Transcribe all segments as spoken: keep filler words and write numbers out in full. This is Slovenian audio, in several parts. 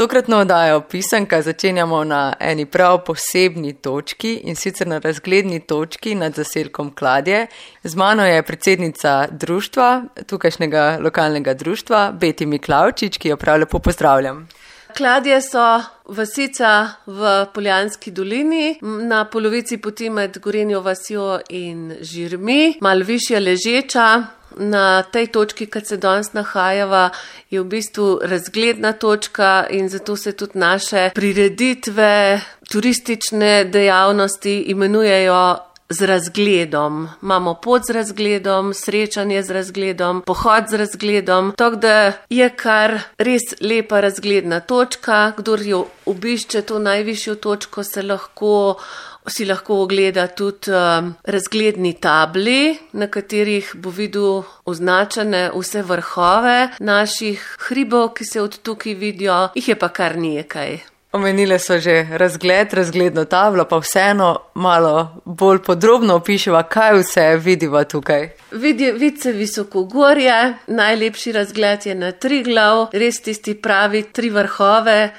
Tokratno oddajo Pisanka začenjamo na eni prav posebni točki in sicer na razgledni točki nad zaselkom Kladje. Z mano je predsednica društva, tukajšnjega lokalnega društva, Beti Miklavčič, ki jo prav lepo pozdravljam. Kladje so vasica v Poljanski dolini, na polovici poti med Gorenjo vasjo in Žirmi, malo višje ležeča. Na tej točki, kad se danes nahajava, je v bistvu razgledna točka in zato se tudi naše prireditve, turistične dejavnosti imenujejo z razgledom. Imamo pot z razgledom, srečanje z razgledom, pohod z razgledom, tako da je kar res lepa razgledna točka. Kdor jo obišče to najvišjo točko, se lahko si lahko ogleda tudi um, razgledni tabli, na katerih bo videl označene vse vrhove naših hribov, ki se od tukaj vidijo, jih je pa kar nekaj. Omenile so že razgled, razgledno tablo, pa vseeno malo bolj podrobno opiševa, kaj vse vidiva tukaj. Vidi, vidi se visokogorje, najlepši razgled je na Triglav, res tisti pravi tri vrhove.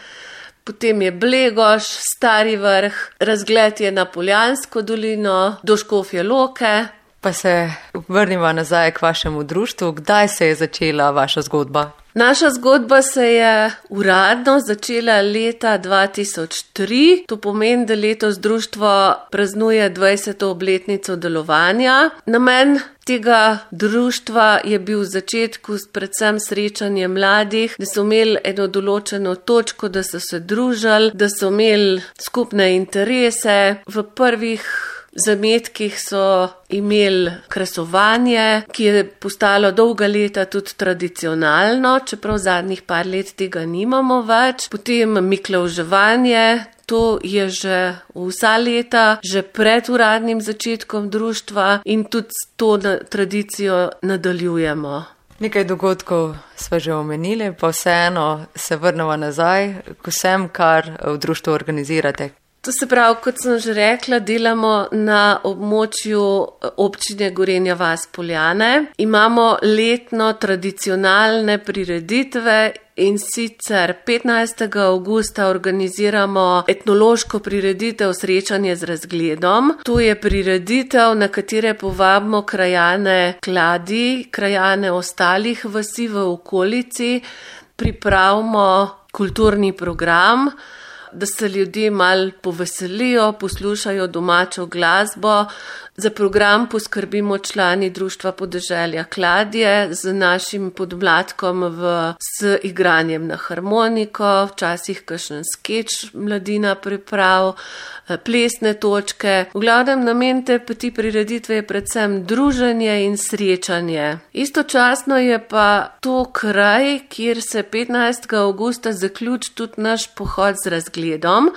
Potem je Blegoš, Stari vrh, razgled je na Poljansko dolino, do Škofje Loke. Pa se vrniva nazaj k vašemu društvu. Kdaj se je začela vaša zgodba? Naša zgodba se je uradno začela leta dva tisoč tri. To pomeni, da letos društvo praznuje dvajseto obletnico delovanja. Namen tega društva je bil v začetku predvsem srečanje mladih, da so imeli eno določeno točko, da so se družili, da so imeli skupne interese. V prvih zametkih so imeli kresovanje, ki je postalo dolga leta tudi tradicionalno, čeprav zadnjih par let tega nimamo več. Potem miklavževanje, to je že vsa leta, že pred uradnim začetkom društva in tudi to na, tradicijo nadaljujemo. Nekaj dogodkov sva že omenili, pa vseeno se vrnemo nazaj k vsem, kar v društvu organizirate. To se pravi, kot sem že rekla, delamo na območju občine Gorenja vas Poljane. Imamo letno tradicionalne prireditve in sicer petnajstega avgusta organiziramo etnološko prireditev Srečanje z razgledom. To je prireditev, na katere povabimo krajane Kladij, krajane ostalih vasi v okolici, pripravimo kulturni program, da se ljudje malo poveselijo, poslušajo domačo glasbo. Za program poskrbimo člani Društva podeželja Kladje z našim podmladkom v, s igranjem na harmoniko, včasih kakšen skeč mladina priprav, plesne točke. V glavnem namen te ti prireditve je predvsem druženje in srečanje. Istočasno je pa to kraj, kjer se petnajstega avgusta zaključi tudi naš pohod z razgledom,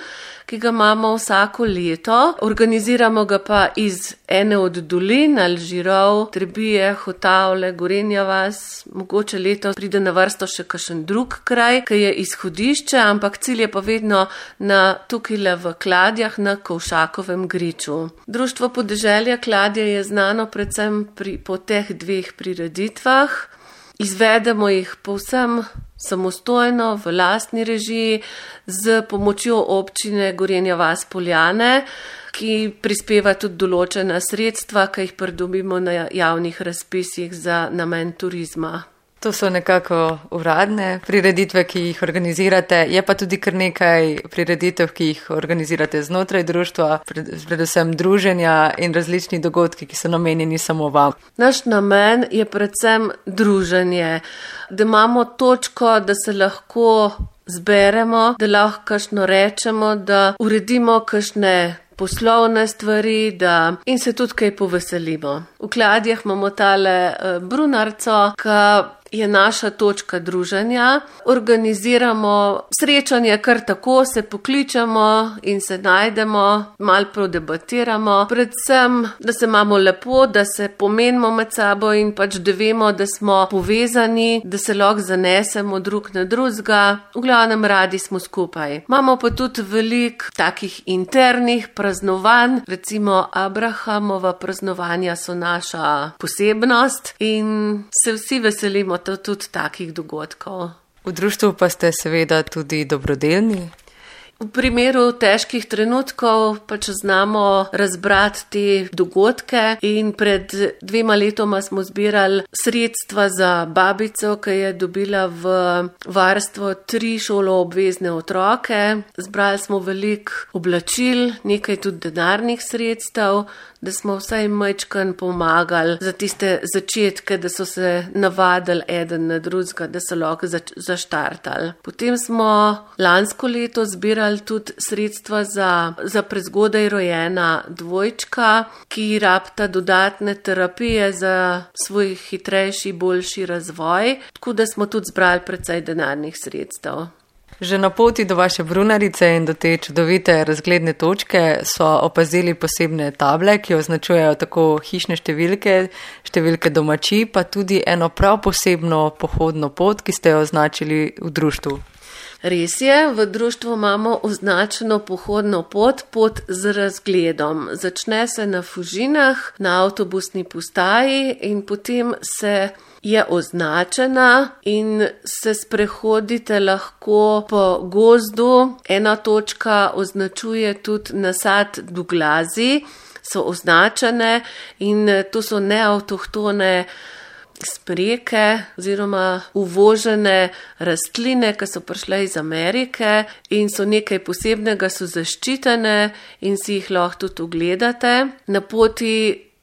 ki ga imamo vsako leto. Organiziramo ga pa iz ene od dolin, Alžirov, Trebije, Hotavle, Gorenja vas. Mogoče leto pride na vrsto še kakšen drug kraj, ki je izhodišče, ampak cilj je pa vedno na tukajle v Kladjah, na Kovšakovem griču. Društvo podeželja Kladje je znano predvsem pri, po teh dveh prireditvah. Izvedemo jih povsem samostojno, v lastni režiji, z pomočjo občine Gorenja vas Poljane, ki prispeva tudi določena sredstva, ki jih pridobimo na javnih razpisih za namen turizma. To so nekako uradne prireditve, ki jih organizirate, je pa tudi kar nekaj prireditev, ki jih organizirate znotraj društva, predvsem druženja in različni dogodki, ki so namenjeni samo vam. Naš namen je predvsem druženje, da imamo točko, da se lahko zberemo, da lahko kakšno rečemo, da uredimo kakšne poslovne stvari, da in se tudi kaj poveselimo. V Kladjah imamo tale uh, Brunarco, ki je naša točka druženja. Organiziramo srečanje kar tako, se pokličemo in se najdemo, malo prodebatiramo. Predvsem, da se imamo lepo, da se pomenimo med sabo in pač da vemo, da smo povezani, da se lahko zanesemo drug na drugega. V glavnem radi smo skupaj. Imamo pa tudi veliko takih internih praznovanj, recimo Abrahamova praznovanja so naša posebnost in se vsi veselimo tudi takih dogodkov. V društvu pa ste seveda tudi dobrodelni. V primeru težkih trenutkov pač znamo razbrati te dogodke in pred dvema letoma smo zbirali sredstva za babico, ki je dobila v varstvo tri šoloobvezne otroke. Zbrali smo veliko oblačil, nekaj tudi denarnih sredstev, da smo vsaj majčkan pomagali za tiste začetke, da so se navadili eden na drugega, da so lahko zač- zaštartali. Potem smo lansko leto zbirali tudi sredstva za, za prezgodaj rojena dvojčka, ki rabita dodatne terapije za svoj hitrejši, boljši razvoj, tako da smo tudi zbrali precej denarnih sredstev. Že na poti do vaše brunarice in do te čudovite razgledne točke so opazili posebne table, ki označujejo tako hišne številke, številke domačij, pa tudi eno prav posebno pohodno pot, ki ste jo označili v društvu. Res je, v društvu imamo označeno pohodno pot, pot z razgledom. Začne se na Fužinah, na avtobusni postaji in potem se je označena in se sprehodite lahko po gozdu. Ena točka označuje tudi nasad Duglazi, so označene in to so neavtohtone spreke oziroma uvožene rastline, ki so prišle iz Amerike in so nekaj posebnega, so zaščitene in si jih lahko tudi ogledate. Na poti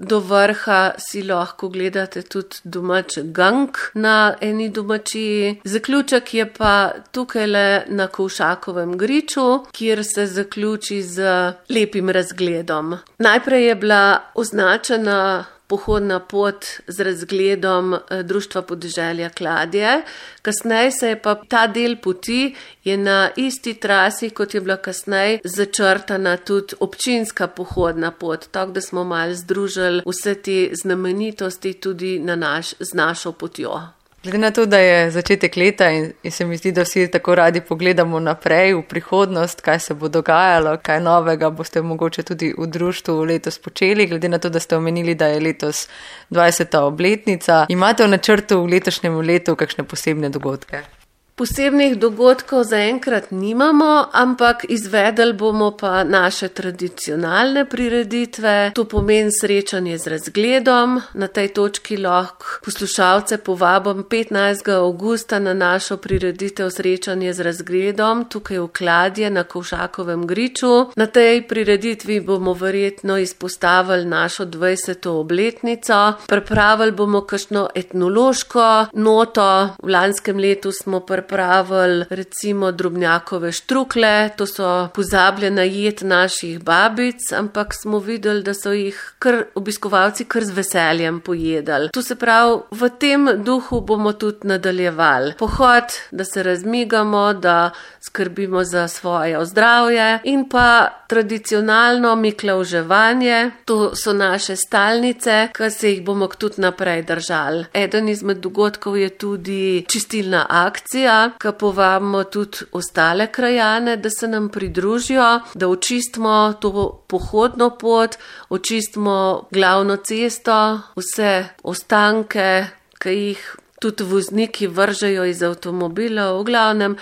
do vrha si lahko gledate tudi domač gang na eni domačiji. Zaključek je pa tukajle na Kovšakovem griču, kjer se zaključi z lepim razgledom. Najprej je bila označena pohodna pot z razgledom Društva podeželja Kladje. Kasneje se je pa ta del poti je na isti trasi, kot je bila kasneje začrtana tudi občinska pohodna pot, tako da smo malo združili vse te znamenitosti tudi na naš, z našo potjo. Glede na to, da je začetek leta in, in se mi zdi, da vsi tako radi pogledamo naprej v prihodnost, kaj se bo dogajalo, kaj novega boste mogoče tudi v društvu letos počeli, glede na to, da ste omenili, da je letos dvajseta obletnica. Imate v načrtu v letošnjem letu kakšne posebne dogodke? Posebnih dogodkov zaenkrat nimamo, ampak izvedeli bomo pa naše tradicionalne prireditve. To pomeni srečanje z razgledom. Na tej točki lahko poslušalce povabim petnajstega avgusta na našo prireditev srečanje z razgledom, tukaj v Kladje na Kovšakovem griču. Na tej prireditvi bomo verjetno izpostavili našo dvajseto obletnico. Pripravili bomo kakšno etnološko noto. V lanskem letu smo pripravili pripravili recimo drobnjakove štrukle, to so pozabljena jed naših babic, ampak smo videli, da so jih kar obiskovalci kar z veseljem pojedali. To se pravi, v tem duhu bomo tudi nadaljevali. Pohod, da se razmigamo, da skrbimo za svoje zdravje in pa tradicionalno miklavževanje, to so naše stalnice, ki se jih bomo tudi naprej držali. Eden izmed dogodkov je tudi čistilna akcija, ki povabimo tudi ostale krajane, da se nam pridružijo, da očistimo to pohodno pot, očistimo glavno cesto, vse ostanke, ki jih tudi vozniki vržejo iz avtomobila, v glavnem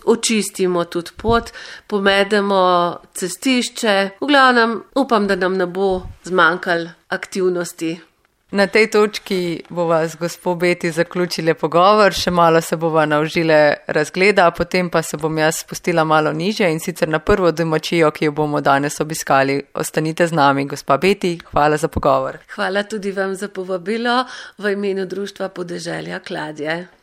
očistimo tudi pot, pomedemo cestišče, v glavnem upam, da nam ne bo zmanjkalo aktivnosti. Na tej točki bova z gospo Beti zaključile pogovor, še malo se bova naužile razgleda, potem pa se bom jaz spustila malo nižje in sicer na prvo domačijo, ki jo bomo danes obiskali. Ostanite z nami, gospa Beti, hvala za pogovor. Hvala tudi vam za povabilo v imenu Društva podeželja Kladje.